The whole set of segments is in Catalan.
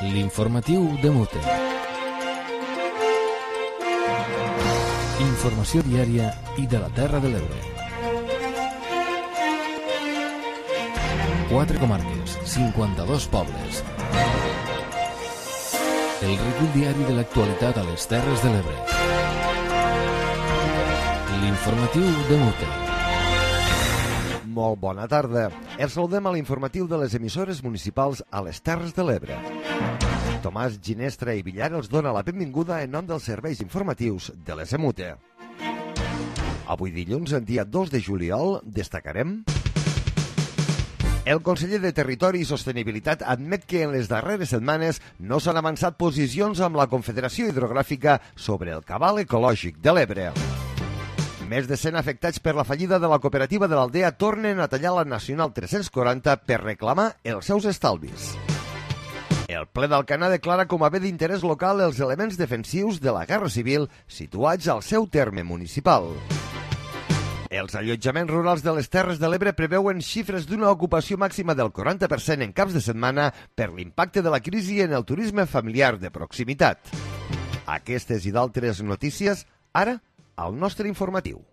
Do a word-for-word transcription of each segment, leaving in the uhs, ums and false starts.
L'informatiu de Mute. Informació diària i de la Terra de l'Ebre. Quatre comarques, cinquanta-dos pobles. El recull diari de l'actualitat a les Terres de l'Ebre. L'informatiu de Mute. Molt bona tarda. Els saludem a l'informatiu de les emissores municipals a les Terres de l'Ebre. Tomàs Ginestra i Villar els dona la benvinguda en nom dels serveis informatius de l'E S M U T E. Avui dilluns, el dia dos de juliol, destacarem... El conseller de Territori i Sostenibilitat admet que en les darreres setmanes no s'han avançat posicions amb la Confederació Hidrogràfica sobre el cabal ecològic de l'Ebre. Més de cent afectats per la fallida de la cooperativa de l'Aldea tornen a tallar la Nacional tres-cents quaranta per reclamar els seus estalvis. El ple d'Alcanar declara com a bé d'interès local els elements defensius de la Guerra Civil situats al seu terme municipal. Els allotjaments rurals de les Terres de l'Ebre preveuen xifres d'una ocupació màxima del quaranta per cent en caps de setmana per l'impacte de la crisi en el turisme familiar de proximitat. Aquestes i d'altres notícies, ara, al nostre informatiu.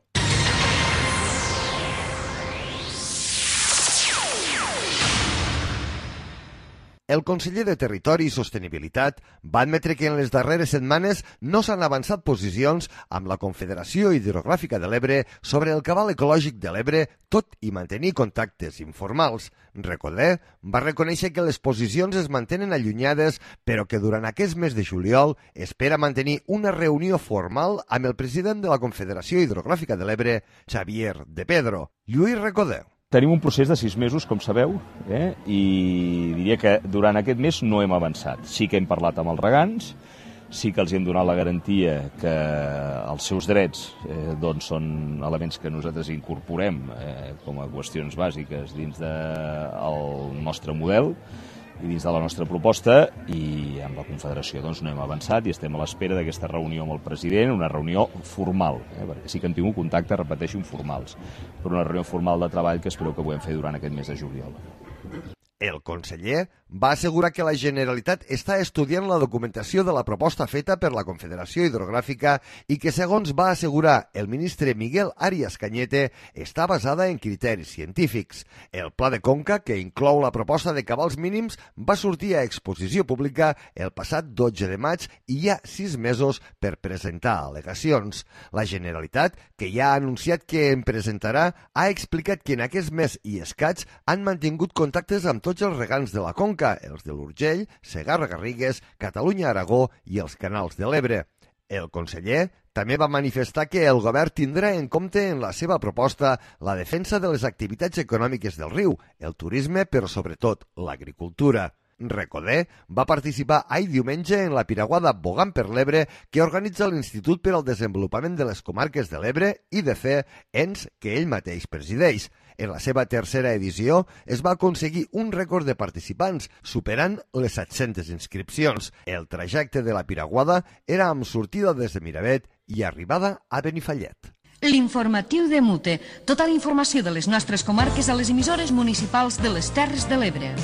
El conseller de Territori i Sostenibilitat va admetre que en les darreres setmanes no s'han avançat posicions amb la Confederació Hidrogràfica de l'Ebre sobre el cabal ecològic de l'Ebre, tot i mantenir contactes informals. Recoder va reconèixer que les posicions es mantenen allunyades, però que durant aquest mes de juliol espera mantenir una reunió formal amb el president de la Confederació Hidrogràfica de l'Ebre, Xavier de Pedro. Lluís Recoder. Tenim un procés de sis mesos, com sabeu, eh? i diria que durant aquest mes no hem avançat. Sí que hem parlat amb els regants, sí que els hem donat la garantia que els seus drets eh, doncs són elements que nosaltres incorporem eh, com a qüestions bàsiques dins del nostre model i dins de la nostra proposta, i amb la Confederació doncs, no hem avançat i estem a l'espera d'aquesta reunió amb el president, una reunió formal, eh, perquè sí que hem tingut contactes, repeteixo, informals, però una reunió formal de treball que espero que puguem fer durant aquest mes de juliol. El conseller va assegurar que la Generalitat està estudiant la documentació de la proposta feta per la Confederació Hidrogràfica i que, segons va assegurar el ministre Miguel Arias Cañete, està basada en criteris científics. El pla de conca, que inclou la proposta de cabals mínims, va sortir a exposició pública el passat dotze de maig i hi ha sis mesos per presentar al·legacions. La Generalitat, que ja ha anunciat que en presentarà, ha explicat que en aquest mes i escaig han mantingut contactes amb tots els regants de la conca, els de l'Urgell, Segarra-Garrigues, Catalunya-Aragó i els canals de l'Ebre. El conseller també va manifestar que el govern tindrà en compte en la seva proposta la defensa de les activitats econòmiques del riu, el turisme, però sobretot l'agricultura. Recoder va participar ahir diumenge en la piraguada Bogant per l'Ebre que organitza l'Institut per al Desenvolupament de les Comarques de l'Ebre, I D C, ens que ell mateix presideix. En la seva tercera edició es va aconseguir un rècord de participants, superant les set-centes inscripcions. El trajecte de la piraguada era amb sortida des de Miravet i arribada a Benifallet. L'informatiu de Mute. Tota la informació de les nostres comarques a les emissores municipals de les Terres de l'Ebre.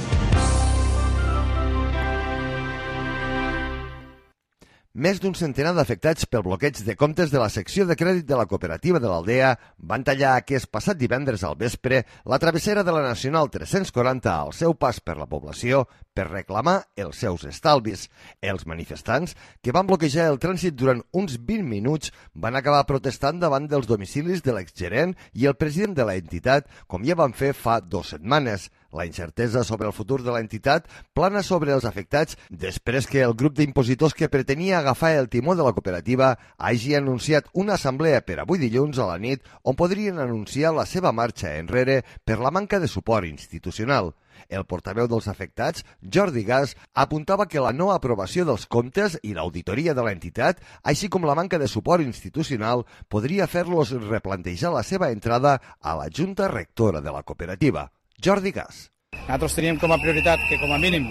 Més d'un centenar d'afectats pel bloqueig de comptes de la secció de crèdit de la cooperativa de l'Aldea van tallar aquest passat divendres al vespre la travessera de la Nacional tres-cents quaranta al seu pas per la població per reclamar els seus estalvis. Els manifestants, que van bloquejar el trànsit durant uns vint minuts, van acabar protestant davant dels domicilis de l'exgerent i el president de la entitat, com ja van fer fa dues setmanes. La incertesa sobre el futur de la entitat plana sobre els afectats després que el grup d'impositors que pretenia agafar el timó de la cooperativa hagi anunciat una assemblea per avui dilluns a la nit on podrien anunciar la seva marxa enrere per la manca de suport institucional. El portaveu dels afectats, Jordi Gas, apuntava que la no aprovació dels comptes i l'auditoria de l'entitat, així com la manca de suport institucional, podria fer-los replantejar la seva entrada a la Junta Rectora de la cooperativa. Jordi Gas. Nosaltres teníem com a prioritat que, com a mínim,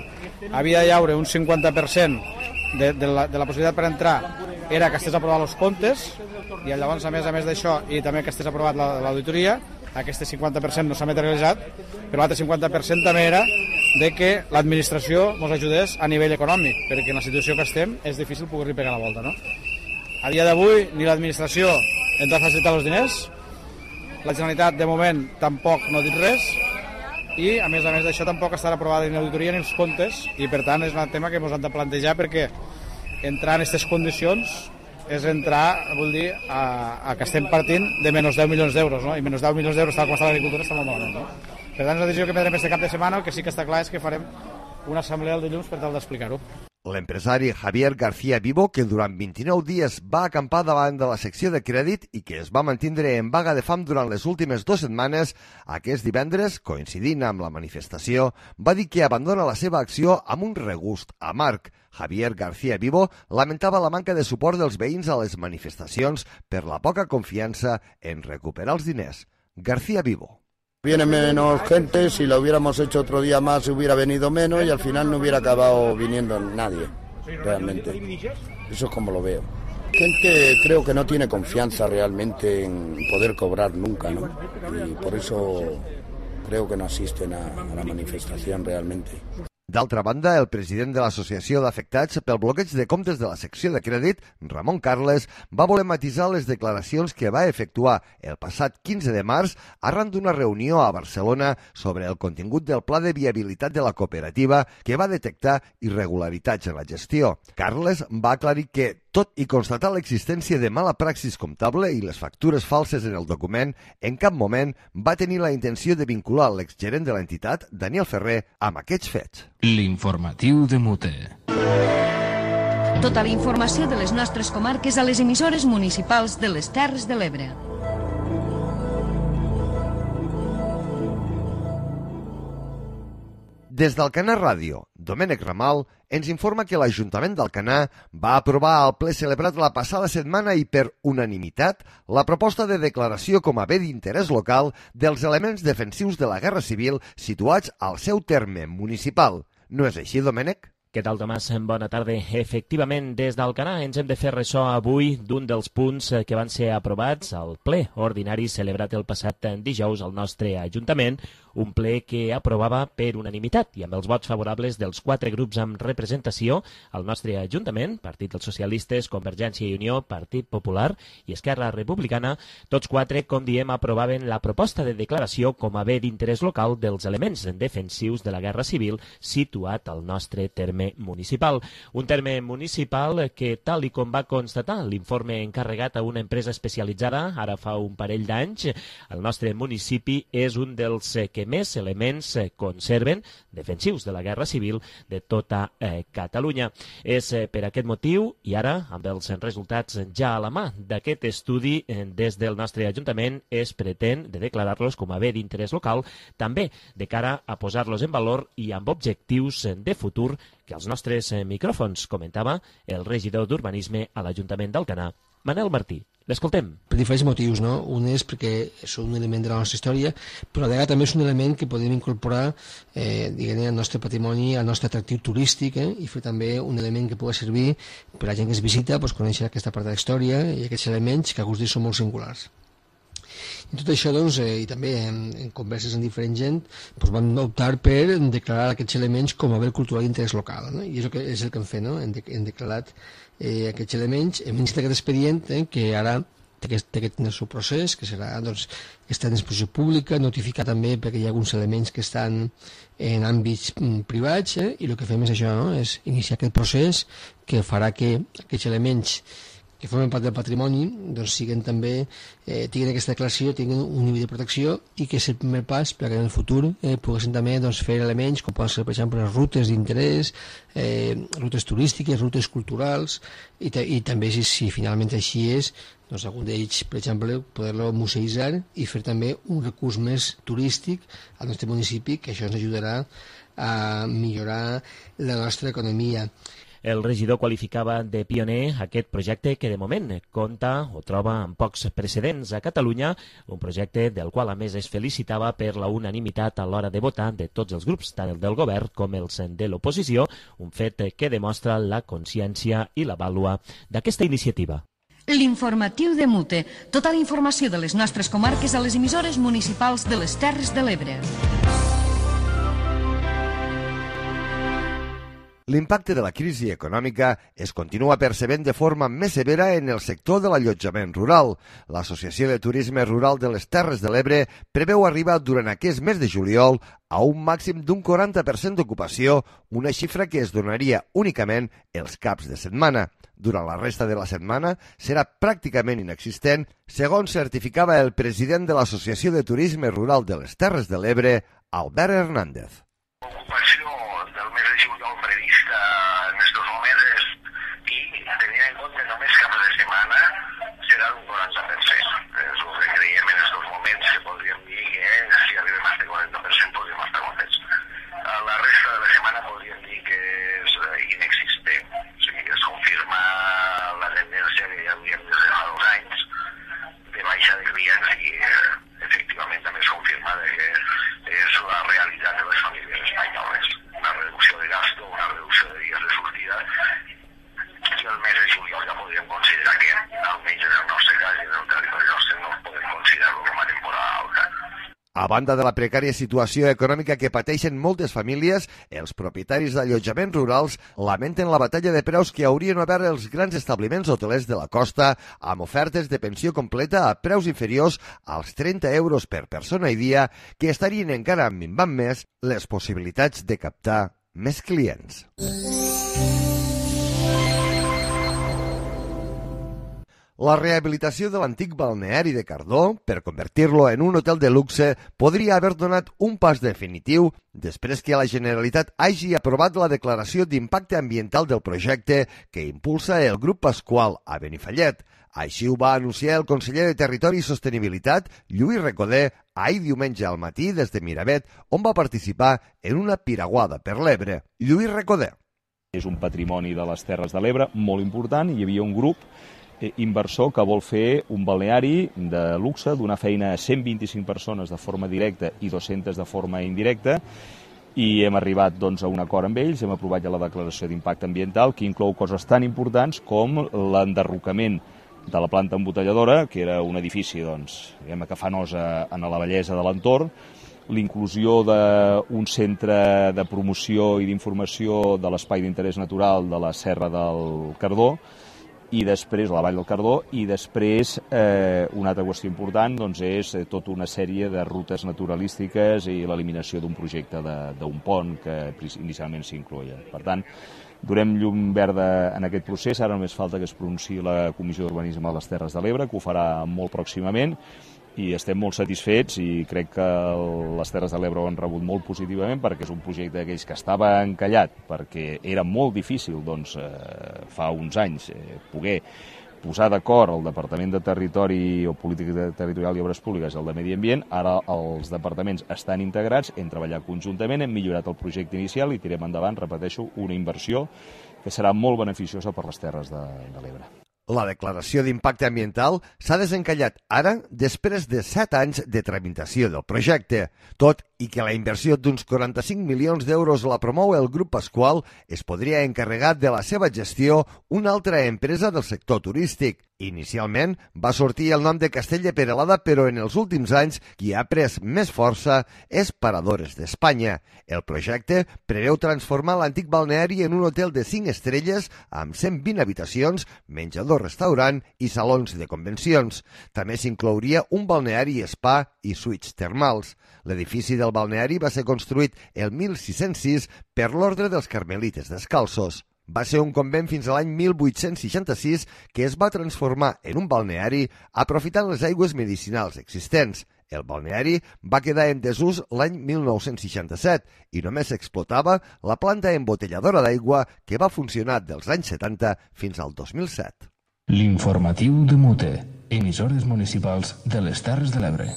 havia de haure un cinquanta per cent de, de, la, de la possibilitat per entrar era que estigués aprovat els comptes i llavors, a més a més d'això, i també que estigués aprovat l'auditoria, aquest cinquanta per cent no s'ha materialitzat, però l'altre cinquanta per cent també era de que l'administració ens ajudés a nivell econòmic, perquè en la situació que estem és difícil poder-li pegar la volta, no? A dia d'avui ni l'administració ens ha facilitat els diners, la Generalitat de moment tampoc no ha dit res, i a més a més d'això tampoc estarà aprovada ni l'auditoria ni els comptes, i per tant és un tema que ens hem de plantejar, perquè entrar en aquestes condicions és entrar, vol dir, a, a que estem partint de menys deu milions d'euros, no? I menys deu milions d'euros tal com està l'agricultura està molt malament, no? Per tant, és una decisió que prendrem este cap de setmana. El que sí que està clar és que farem una assemblea el dilluns per tal d'explicar-ho. L'empresari Javier García Vivo, que durant vint-i-nou dies va acampar davant de la secció de crèdit i que es va mantindre en vaga de fam durant les últimes dues setmanes, aquest divendres, coincidint amb la manifestació, va dir que abandona la seva acció amb un regust amarg. Javier García Vivo lamentava la manca de suport dels veïns a les manifestacions per la poca confiança en recuperar els diners. García Vivo. Viene menos gente, si lo hubiéramos hecho otro día más hubiera venido menos y al final no hubiera acabado viniendo nadie, realmente. Eso es como lo veo. Gente creo que no tiene confianza realmente en poder cobrar nunca, ¿no? Y por eso creo que no asisten a, a la manifestación realmente. D'altra banda, el president de l'Associació d'Afectats pel bloqueig de comptes de la secció de crèdit, Ramon Carles, va voler matisar les declaracions que va efectuar el passat quinze de març arran d'una reunió a Barcelona sobre el contingut del pla de viabilitat de la cooperativa que va detectar irregularitats en la gestió. Carles va aclarir que, tot i constatar l'existència de mala praxis comptable i les factures falses en el document, en cap moment va tenir la intenció de vincular l'exgerent de l'entitat, Daniel Ferrer, amb aquests fets. L'informatiu de Mute. Tota la informació de les nostres comarques a les emissores municipals de les Terres de l'Ebre. Des d'Alcanar Ràdio, Domènec Ramal ens informa que l'Ajuntament d'Alcanar va aprovar al ple celebrat la passada setmana i per unanimitat la proposta de declaració com a bé d'interès local dels elements defensius de la Guerra Civil situats al seu terme municipal. No és així, Domènec? Què tal, Tomàs? Bona tarda. Efectivament, des d'Alcanar ens hem de fer ressò avui d'un dels punts que van ser aprovats al ple ordinari celebrat el passat dijous al nostre Ajuntament, un ple que aprovava per unanimitat i amb els vots favorables dels quatre grups amb representació al nostre Ajuntament, Partit dels Socialistes, Convergència i Unió, Partit Popular i Esquerra Republicana. Tots quatre, com diem, aprovaven la proposta de declaració com a bé d'interès local dels elements defensius de la Guerra Civil situat al nostre terme municipal. Un terme municipal que, tal i com va constatar l'informe encarregat a una empresa especialitzada ara fa un parell d'anys, el nostre municipi és un dels que més elements conserven defensius de la Guerra Civil de tota eh, Catalunya. És eh, per aquest motiu, i ara, amb els resultats ja a la mà d'aquest estudi, eh, des del nostre Ajuntament es pretén de declarar-los com a bé d'interès local, també de cara a posar-los en valor i amb objectius de futur que als nostres micròfons comentava el regidor d'Urbanisme a l'Ajuntament d'Alcanar, Manel Martí. L'escoltem. Per diferents motius, no? Un és perquè és un element de la nostra història, però a vegades també és un element que podem incorporar eh, diguem-ne, al nostre patrimoni, al nostre atractiu turístic, eh? I fer també un element que pugui servir per a la gent que es visita, pues, conèixer aquesta part de la història i aquests elements que alguns dies són molt singulars. I tot això, doncs, eh, i també en, en converses amb diferent gent, doncs van optar per declarar aquests elements com a bé cultural d'interès local, no? I és el que, és el que hem fet, no? Hem, de, hem declarat eh, aquests elements, hem iniciat aquest expedient eh, que ara té aquest, té aquest seu procés, que serà, doncs, està en exposició pública, notificar també perquè hi ha alguns elements que estan en àmbits mm, privats, eh, i el que fem és això, no? És iniciar aquest procés que farà que aquests elements que formen part del patrimoni, doncs siguen també, eh, tinguin aquesta declaració, tinguin un nivell de protecció i que és el primer pas perquè en el futur eh, poguessin també doncs, fer elements com poden ser, per exemple, les rutes d'interès, eh, rutes turístiques, rutes culturals i, i també si, si finalment així és, doncs algun d'ells, per exemple, poder-lo museïtzar i fer també un recurs més turístic al nostre municipi, que això ens ajudarà a millorar la nostra economia. El regidor qualificava de pioner aquest projecte que de moment compta o troba amb pocs precedents a Catalunya, un projecte del qual a més es felicitava per la unanimitat a l'hora de votar de tots els grups, tant el del govern com els de l'oposició, un fet que demostra la consciència i la vàlua d'aquesta iniciativa. L'informatiu de Mute, tota la informació de les nostres comarques a les emissores municipals de les Terres de l'Ebre. L'impacte de la crisi econòmica es continua percebent de forma més severa en el sector de l'allotjament rural. L'Associació de Turisme Rural de les Terres de l'Ebre preveu arribar durant aquest mes de juliol a un màxim d'un quaranta per cent d'ocupació, una xifra que es donaria únicament els caps de setmana. Durant la resta de la setmana serà pràcticament inexistent, segons certificava el president de l'Associació de Turisme Rural de les Terres de l'Ebre, Albert Hernández. L'ocupació del mes de juliol prevista en estos moments i tenint en compte només caps de setmana serà d'un quaranta per cent. És el que creiem en estos moments que podríem dir que si arribem a este quaranta per cent podríem estar contents. La resta de la setmana podríem dir que és inexistent. O sigui, es confirma la tendència que ja havíem des de fa dos anys de baixa de clients i efectivament també es confirma que és la realitat de les famílies espanyoles. Una reducció de gasto, una reducció de dies de sortida i el mes de juliol ja podríem considerar que, almenys en el nostre cas i en el territori nostre, no podem considerar-lo com a temporada alta. A banda de la precària situació econòmica que pateixen moltes famílies, els propietaris d'allotjaments rurals lamenten la batalla de preus que haurien obert els grans establiments hotelers de la costa amb ofertes de pensió completa a preus inferiors als trenta euros per persona i dia, que estarien encara minvant més les possibilitats de captar més clients. La rehabilitació de l'antic balneari de Cardó, per convertir-lo en un hotel de luxe, podria haver donat un pas definitiu després que la Generalitat hagi aprovat la declaració d'impacte ambiental del projecte que impulsa el Grup Pasqual a Benifallet. Així ho va anunciar el conseller de Territori i Sostenibilitat, Lluís Recoder, ahir diumenge al matí des de Miravet, on va participar en una piraguada per l'Ebre. Lluís Recoder. És un patrimoni de les Terres de l'Ebre molt important i hi havia un grup inversor que vol fer un balneari de luxe, donar feina a cent vint-i-cinc persones de forma directa i dues-centes de forma indirecta, i hem arribat doncs, a un acord amb ells, hem aprovat ja la declaració d'impacte ambiental que inclou coses tan importants com l'enderrocament de la planta embotelladora, que era un edifici doncs, que fa nosa en la bellesa de l'entorn, l'inclusió d'un centre de promoció i d'informació de l'espai d'interès natural de la Serra del Cardó, i després la Vall del Cardó, i després eh, una altra qüestió important doncs, és eh, tota una sèrie de rutes naturalístiques i l'eliminació d'un projecte d'un pont que inicialment s'incloïa. Per tant, donem llum verda en aquest procés, ara només falta que es pronunciï la Comissió d'Urbanisme de les Terres de l'Ebre, que ho farà molt pròximament, i estem molt satisfets i crec que les Terres de l'Ebre ho han rebut molt positivament perquè és un projecte d'aquells que estava encallat, perquè era molt difícil doncs, eh, fa uns anys eh, poder posar d'acord el Departament de Territori o Política Territorial i Obres Públiques i el de Medi Ambient. Ara els departaments estan integrats, hem treballat conjuntament, hem millorat el projecte inicial i tirem endavant, repeteixo, una inversió que serà molt beneficiosa per les Terres de, de l'Ebre. La declaració d'impacte ambiental s'ha desencallat ara després de set anys de tramitació del projecte. Tot i que la inversió d'uns quaranta-cinc milions d'euros la promou el Grup Pasqual, es podria encarregar de la seva gestió una altra empresa del sector turístic. Inicialment va sortir el nom de Castell de Peralada, però en els últims anys qui ha pres més força és Paradores d'Espanya. El projecte preveu transformar l'antic balneari en un hotel de cinc estrelles amb cent vint habitacions, menjador, restaurant i salons de convencions. També s'inclouria un balneari spa i suites termals. L'edifici del balneari va ser construït el mil sis-cents sis per l'Ordre dels Carmelites Descalços. Va ser un convent fins a l'any mil vuit-cents seixanta-sis que es va transformar en un balneari aprofitant les aigües medicinals existents. El balneari va quedar en desús l'any mil nou-cents seixanta-set i només s'explotava la planta embotelladora d'aigua que va funcionar dels anys setanta fins al dos mil set. L'informatiu de Mute, emissores municipals de les Terres de l'Ebre.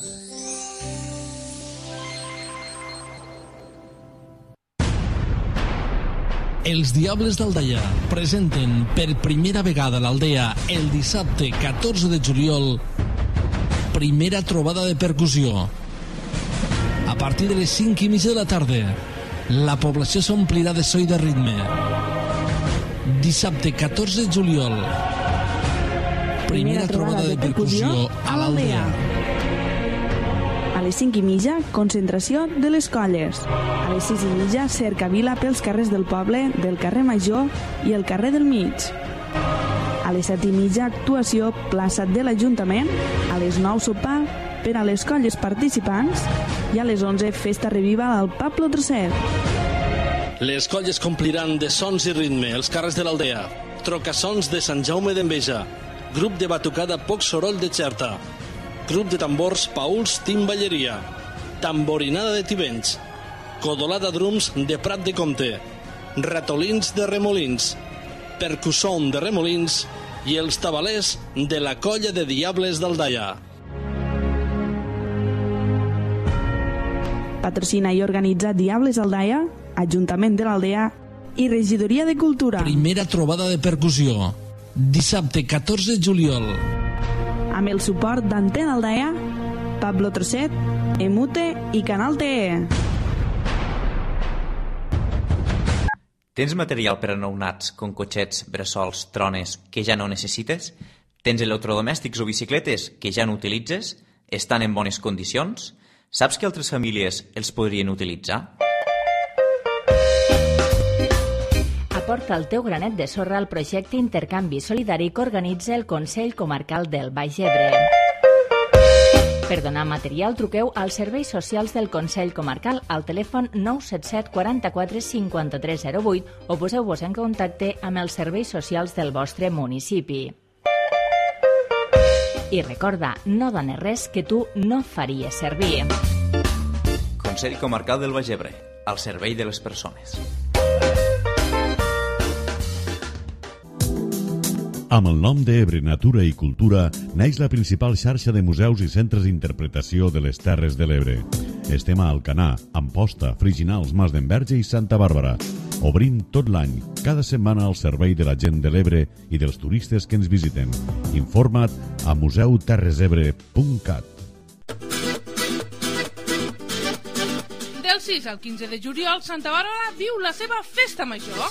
Els Diables d'Aldaia presenten per primera vegada a l'Aldea el dissabte catorze de juliol primera trobada de percussió. A partir de les cinc i mitja de la tarda, la població s'omplirà de so i de ritme. Dissabte catorze de juliol, primera trobada de percussió a l'Aldea. A les cinc i mitja, concentració de les colles. A les sis i mitja, cercavila pels carrers del poble, del carrer Major i el carrer del Mig. A les set i mitja, actuació plaça de l'Ajuntament. A les nou, sopar per a les colles participants. I a les onze, festa reviva al Pablo Trosset. Les colles compliran de sons i ritme els carrers de l'Aldea. Trocassons de Sant Jaume d'Enveja. Grup de batucada Poc Soroll de Xerta. Grup de tambors Pauls Timballeria. Tamborinada de Tivenys. Codolada drums de Prat de Comte. Ratolins de Remolins. Percusson de Remolins i els tabalers de la colla de Diables d'Aldaia. Patrocina i organitza Diables Aldaia, Ajuntament de l'Aldea i Regidoria de Cultura. Primera trobada de percussió. Dissabte catorze de juliol. Amb el suport d'Antena Aldaia, Pablo Trosset, Emute i Canal T E. Tens material per a nounats, com cotxets, bressols, trones, que ja no necessites? Tens electrodomèstics o bicicletes que ja no utilitzes? Estan en bones condicions? Saps que altres famílies els podrien utilitzar? Aporta el teu granet de sorra al projecte Intercanvi Solidari que organitza el Consell Comarcal del Baix Ebre. Per donar material, truqueu als serveis socials del Consell Comarcal al telèfon nou set set quaranta-quatre cinquanta-tres zero vuit o poseu-vos en contacte amb els serveis socials del vostre municipi. I recorda, no dones res que tu no faries servir. Consell Comarcal del Baix Ebre, al servei de les persones. Amb el nom d'Ebre Natura i Cultura naix la principal xarxa de museus i centres d'interpretació de les Terres de l'Ebre. Estem a Alcanar, Amposta, Friginals, Mas d'Enverge i Santa Bàrbara. Obrim tot l'any, cada setmana al servei de la gent de l'Ebre i dels turistes que ens visiten. Informa't a museu terres ebre punt cat. Del sis al quinze de juliol, Santa Bàrbara viu la seva festa major.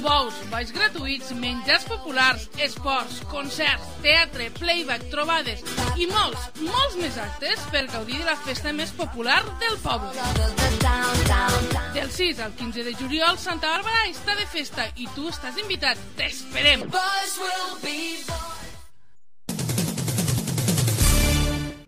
Bous, balls gratuïts, menjars populars, esports, concerts, teatre, playback, trobades i molts, molts més actes per gaudir de la festa més popular del poble. Del sis al quinze de juliol, Santa Bàrbara està de festa i tu estàs invitat. T'esperem!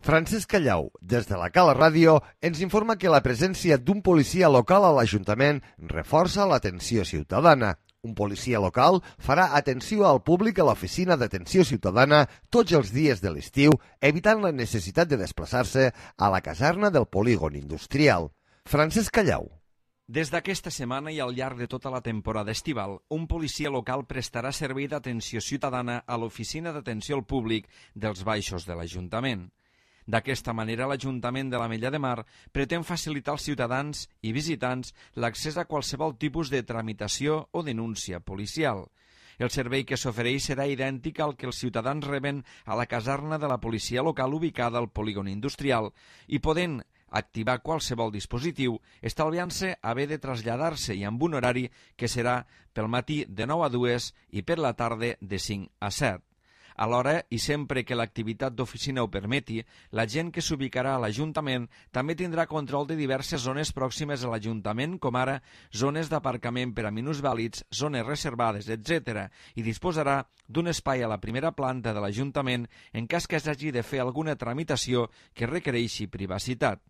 Francesc Callau, des de la Cala Ràdio, ens informa que la presència d'un policia local a l'Ajuntament reforça l'atenció ciutadana. Un policia local farà atenció al públic a l'oficina d'atenció ciutadana tots els dies de l'estiu, evitant la necessitat de desplaçar-se a la caserna del polígon industrial. Francesc Callau. Des d'aquesta setmana i al llarg de tota la temporada estival, un policia local prestarà servei d'atenció ciutadana a l'oficina d'atenció al públic dels baixos de l'Ajuntament. D'aquesta manera, l'Ajuntament de l'Ametlla de Mar pretén facilitar als ciutadans i visitants l'accés a qualsevol tipus de tramitació o denúncia policial. El servei que s'ofereix serà idèntic al que els ciutadans reben a la caserna de la policia local ubicada al polígon industrial i podent activar qualsevol dispositiu, estalviant-se haver de traslladar-se i amb un horari que serà pel matí de nou a dues i per la tarda de cinc a set. Alhora, i sempre que l'activitat d'oficina ho permeti, la gent que s'ubicarà a l'Ajuntament també tindrà control de diverses zones pròximes a l'Ajuntament, com ara zones d'aparcament per a minusvàlids, zones reservades, etcètera, i disposarà d'un espai a la primera planta de l'Ajuntament en cas que s'hagi de fer alguna tramitació que requereixi privacitat.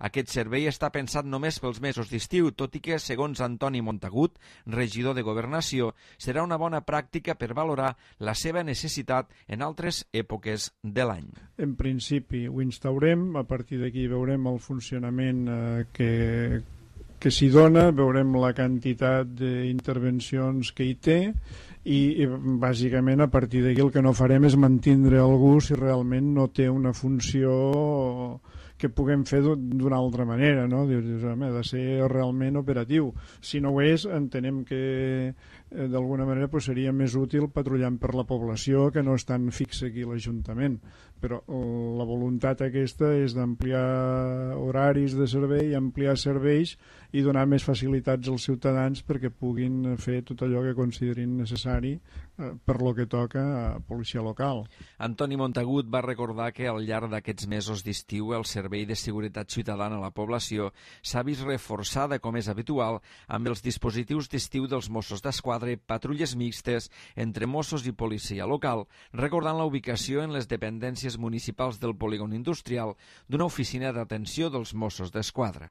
Aquest servei està pensat només pels mesos d'estiu, tot i que, segons Antoni Montagut, regidor de Governació, serà una bona pràctica per valorar la seva necessitat en altres èpoques de l'any. En principi ho instaurem, a partir d'aquí veurem el funcionament eh, que, que s'hi dona, veurem la quantitat d'intervencions que hi té i, i bàsicament a partir d'aquí el que no farem és mantindre algú si realment no té una funció que puguem fer d'una altra manera, no? Dius, home, ha de ser realment operatiu. Si no ho és, entenem que eh, d'alguna manera pues, seria més útil patrullant per la població que no estan fix aquí l'Ajuntament. Però la voluntat aquesta és d'ampliar horaris de servei, ampliar serveis i donar més facilitats als ciutadans perquè puguin fer tot allò que considerin necessari eh, per lo que toca a policia local. Antoni Montagut va recordar que al llarg d'aquests mesos d'estiu el Servei de Seguretat Ciutadana a la població s'ha vist reforçada, com és habitual, amb els dispositius d'estiu dels Mossos d'Esquadra, patrulles mixtes entre Mossos i policia local, recordant la ubicació en les dependències municipals del polígon industrial d'una oficina d'atenció dels Mossos d'Esquadra.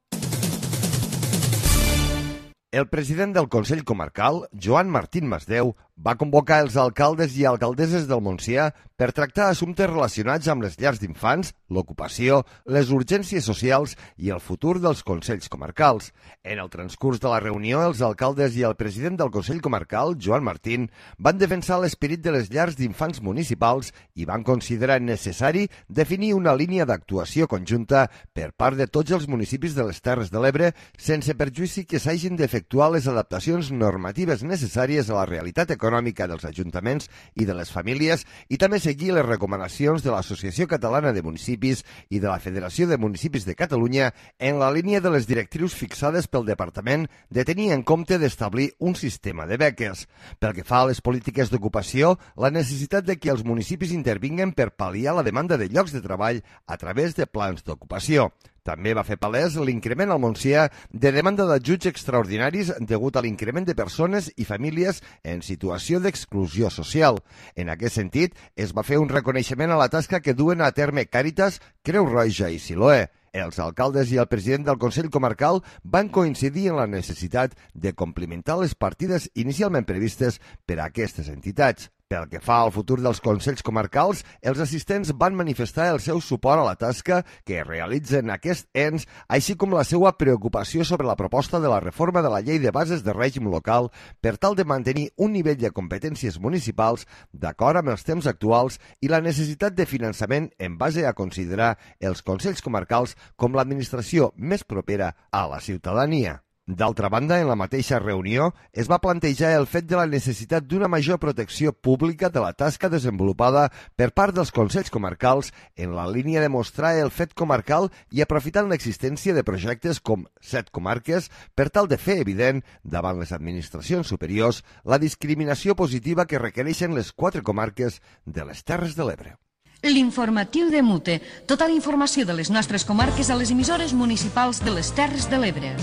El president del Consell Comarcal, Joan Martín Masdeu, va convocar els alcaldes i alcaldesses del Montsià per tractar assumptes relacionats amb les llars d'infants, l'ocupació, les urgències socials i el futur dels Consells Comarcals. En el transcurs de la reunió, els alcaldes i el president del Consell Comarcal, Joan Martín, van defensar l'esperit de les llars d'infants municipals i van considerar necessari definir una línia d'actuació conjunta per part de tots els municipis de les Terres de l'Ebre, sense perjuïci que s'hagin d'efectuar les adaptacions normatives necessàries a la realitat econòmica dels ajuntaments i de les famílies i també seguir les recomanacions de l'Associació Catalana de Municipis i de la Federació de Municipis de Catalunya en la línia de les directrius fixades pel Departament de tenir en compte d'establir un sistema de beques. Pel que fa a les polítiques d'ocupació, la necessitat de que els municipis intervinguen per pal·liar la demanda de llocs de treball a través de plans d'ocupació. També va fer palès l'increment al Montsià de demanda d'ajuts extraordinaris degut a l'increment de persones i famílies en situació d'exclusió social. En aquest sentit, es va fer un reconeixement a la tasca que duen a terme Càritas, Creu Roja i Siloé. Els alcaldes i el president del Consell Comarcal van coincidir en la necessitat de complementar les partides inicialment previstes per a aquestes entitats. Pel que fa al futur dels Consells Comarcals, els assistents van manifestar el seu suport a la tasca que realitzen aquests ens, així com la seva preocupació sobre la proposta de la reforma de la Llei de Bases de Règim Local per tal de mantenir un nivell de competències municipals d'acord amb els temps actuals i la necessitat de finançament en base a considerar els Consells Comarcals com l'administració més propera a la ciutadania. D'altra banda, en la mateixa reunió es va plantejar el fet de la necessitat d'una major protecció pública de la tasca desenvolupada per part dels Consells Comarcals en la línia de mostrar el fet comarcal i aprofitant l'existència de projectes com Set Comarques per tal de fer evident davant les administracions superiors la discriminació positiva que requereixen les quatre comarques de les Terres de l'Ebre. L'informatiu de Mute. Tota la informació de les nostres comarques a les emissores municipals de les Terres de l'Ebre.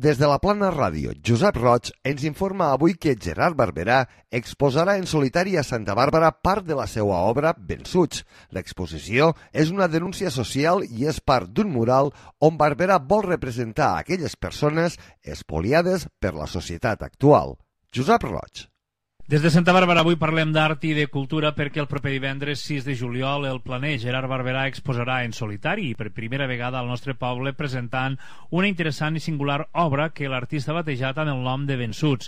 Des de la Plana Ràdio, Josep Roig ens informa avui que Gerard Barberà exposarà en solitari a Santa Bàrbara part de la seva obra Vençuts. L'exposició és una denúncia social i és part d'un mural on Barberà vol representar a aquelles persones espoliades per la societat actual. Josep Roig. Des de Santa Bàrbara avui parlem d'art i de cultura perquè el proper divendres sis de juliol el planer Gerard Barberà exposarà en solitari i per primera vegada al nostre poble presentant una interessant i singular obra que l'artista ha batejat amb el nom de Vençuts.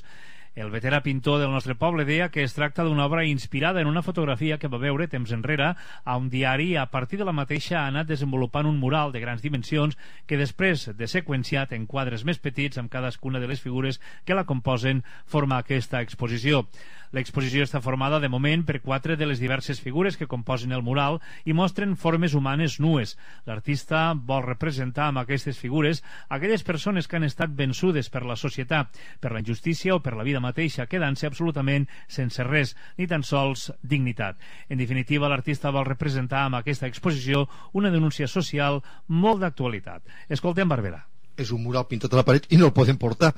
El veterà pintor del nostre poble deia que es tracta d'una obra inspirada en una fotografia que va veure temps enrere a un diari i a partir de la mateixa ha anat desenvolupant un mural de grans dimensions que després de seqüenciat en quadres més petits amb cadascuna de les figures que la composen forma aquesta exposició. L'exposició està formada de moment per quatre de les diverses figures que composen el mural i mostren formes humanes nues. L'artista vol representar amb aquestes figures aquelles persones que han estat vençudes per la societat, per la injustícia o per la vida mateixa, quedant-se absolutament sense res, ni tan sols dignitat. En definitiva, l'artista vol representar amb aquesta exposició una denúncia social molt d'actualitat. Escoltem Barberà. És un mural pintat a la paret i no el podem portar.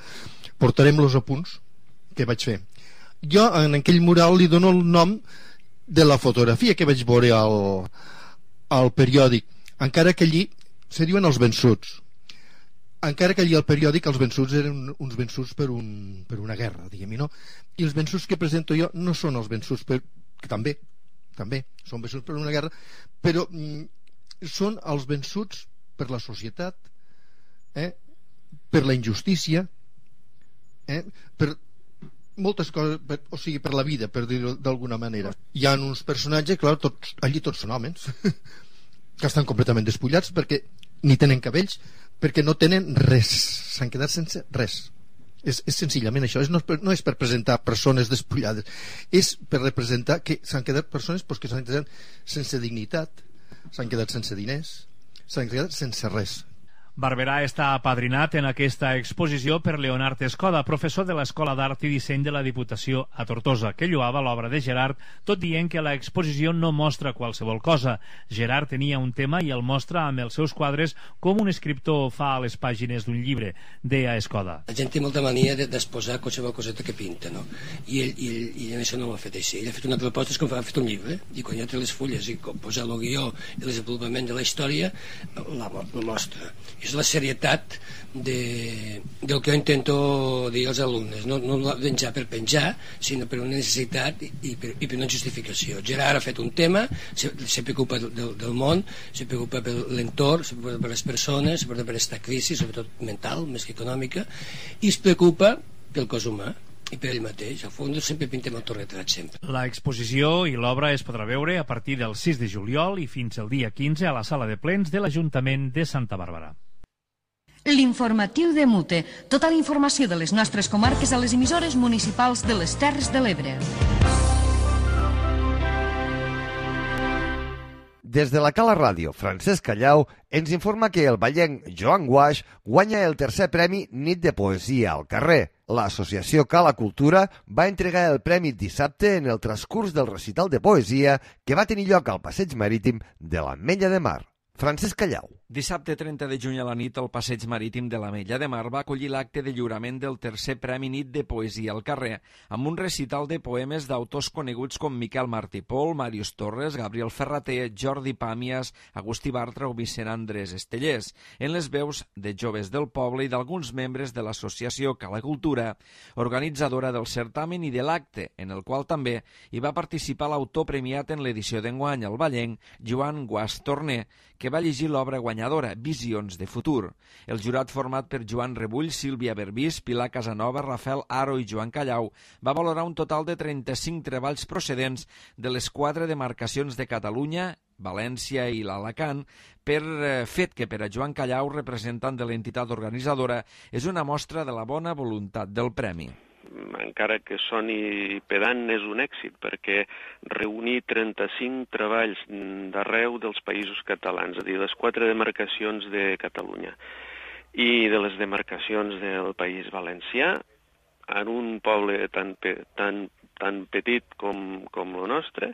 Portarem els apunts que vaig fer. Jo en aquell mural li dono el nom de la fotografia que vaig veure al, al periòdic, encara que allí se diuen els vençuts, encara que allí al periòdic els vençuts eren uns vençuts per, un, per una guerra, diguem-hi, no? I els vençuts que presento jo no són els vençuts per, que també, també són vençuts per una guerra, però mm, són els vençuts per la societat, eh? Per la injustícia, eh? per moltes coses, per, o sigui, per la vida, per dir-ho d'alguna manera. Hi ha uns personatges, clar, tots, allí tots són homes, que estan completament despullats perquè ni tenen cabells, perquè no tenen res, s'han quedat sense res. És, és senzillament això, és, no, és per, no és per presentar persones despullades, és per representar que s'han quedat persones pues, que s'han quedat sense dignitat, s'han quedat sense diners, s'han quedat sense res. Barberà està apadrinat en aquesta exposició per Leonard Escoda, professor de l'Escola d'Art i Disseny de la Diputació a Tortosa, que lloava l'obra de Gerard, tot dient que l'exposició no mostra qualsevol cosa. Gerard tenia un tema i el mostra amb els seus quadres com un escriptor fa a les pàgines d'un llibre, deia Escoda. La gent té molta mania d'exposar qualsevol coseta que pinta, no? I ell, i ell, i ell això no ho ha fet així. Ell ha fet una proposta, és com ha fet un llibre, i quan ja té les fulles i posar el guió i el desenvolupament de la història, la, la mostra. És la serietat de, del que jo intento dir als alumnes, no, no penjar per penjar, sinó per una necessitat i, i, per, i per una justificació. Gerard ha fet un tema, se, se preocupa del, del món, se preocupa per l'entorn, se preocupa per les persones, se preocupa per aquesta crisi, sobretot mental, més que econòmica, i es preocupa pel cos humà i per ell mateix. Al fons sempre pintem autorretrat, sempre. La exposició i l'obra es podrà veure a partir del sis de juliol i fins al dia quinze a la sala de plens de l'Ajuntament de Santa Bàrbara. L'informatiu de Mute. Tota la informació de les nostres comarques a les emissores municipals de les Terres de l'Ebre. Des de la Cala Ràdio, Francesc Callau ens informa que el vallenc Joan Guaix guanya el tercer premi Nit de Poesia al carrer. L'associació Cala Cultura va entregar el premi dissabte en el transcurs del recital de poesia que va tenir lloc al passeig marítim de l'Ametlla de Mar. Francesc Callau. Dissabte trenta de juny a la nit, el passeig marítim de l'Ametlla de Mar va acollir l'acte de lliurament del tercer Premi Nit de Poesia al carrer, amb un recital de poemes d'autors coneguts com Miquel Martí Pol, Màrius Torres, Gabriel Ferrater, Jordi Pàmies, Agustí Bartra o Vicent Andrés Estellers, en les veus de joves del poble i d'alguns membres de l'associació Cala Cultura, organitzadora del certamen i de l'acte, en el qual també hi va participar l'autor premiat en l'edició d'enguany, el vallenc Joan Guaix Torner, que va llegir l'obra guanyadora, Visions de futur. El jurat format per Joan Rebull, Sílvia Berbís, Pilar Casanova, Rafael Aro i Joan Callau va valorar un total de trenta-cinc treballs procedents de les quatre demarcacions de Catalunya, València i l'Alacant, per fet que per a Joan Callau, representant de l'entitat organitzadora, és una mostra de la bona voluntat del premi. Encara que soni pedant, és un èxit, perquè reunir trenta-cinc treballs d'arreu dels països catalans, és a dir, les quatre demarcacions de Catalunya i de les demarcacions del País Valencià, en un poble tan, tan, tan petit com, com el nostre,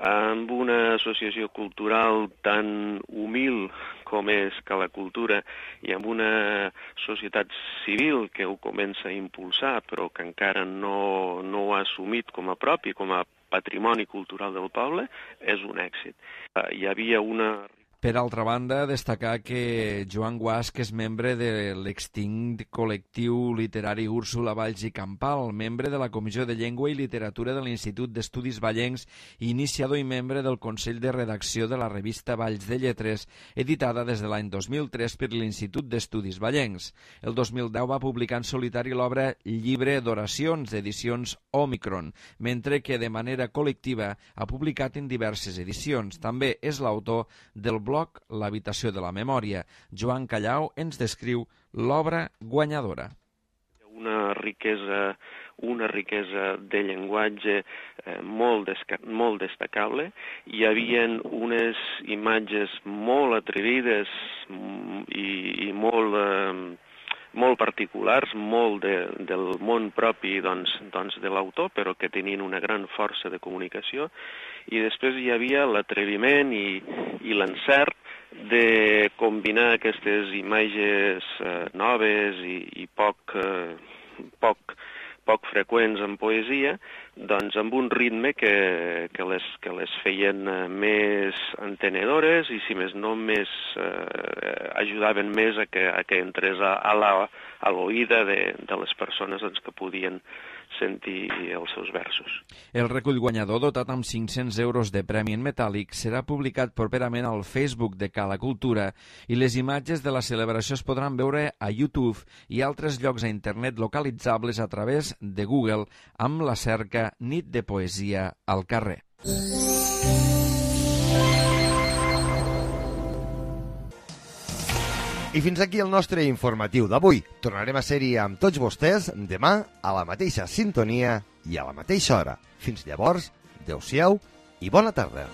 amb una associació cultural tan humil com és Cala Cultura i amb una societat civil que ho comença a impulsar però que encara no, no ho ha assumit com a propi, com a patrimoni cultural del poble, és un èxit. Hi havia una... Per altra banda, destacar que Joan Guasch és membre de l'extint col·lectiu literari Úrsula Valls i Campal, membre de la Comissió de Llengua i Literatura de l'Institut d'Estudis Vallencs i iniciador i membre del Consell de Redacció de la revista Valls de Lletres, editada des de l'any dos mil tres per l'Institut d'Estudis Vallencs. El dos mil deu va publicar en solitari l'obra Llibre d'Oracions, d'edicions Omicron, mentre que de manera col·lectiva ha publicat en diverses edicions. També és l'autor del blog L'habitació de la memòria. Joan Callau ens descriu l'obra guanyadora. Una riquesa, una riquesa de llenguatge eh, molt, molt destacable. Hi havia unes imatges molt atrevides i, i molt... Eh, molt particulars, molt de, del món propi doncs, doncs de l'autor, però que tenien una gran força de comunicació, i després hi havia l'atreviment i, i l'encert de combinar aquestes imatges eh, noves i, i poc, eh, poc, poc freqüents en poesia, doncs amb un ritme que, que, les, que les feien més entenedores i, si més no, més, eh, ajudaven més a que, a que entrés a, a l'oïda de, de les persones doncs, que podien sentir els seus versos. El recull guanyador, dotat amb cinc-cents euros de premi en metàl·lic, serà publicat properament al Facebook de Cala Cultura i les imatges de la celebració es podran veure a YouTube i altres llocs a internet localitzables a través de Google amb la cerca Nit de Poesia al carrer. I fins aquí el nostre informatiu d'avui. Tornarem a ser-hi amb tots vostès demà a la mateixa sintonia i a la mateixa hora. Fins llavors, adeu-siau i bona tarda.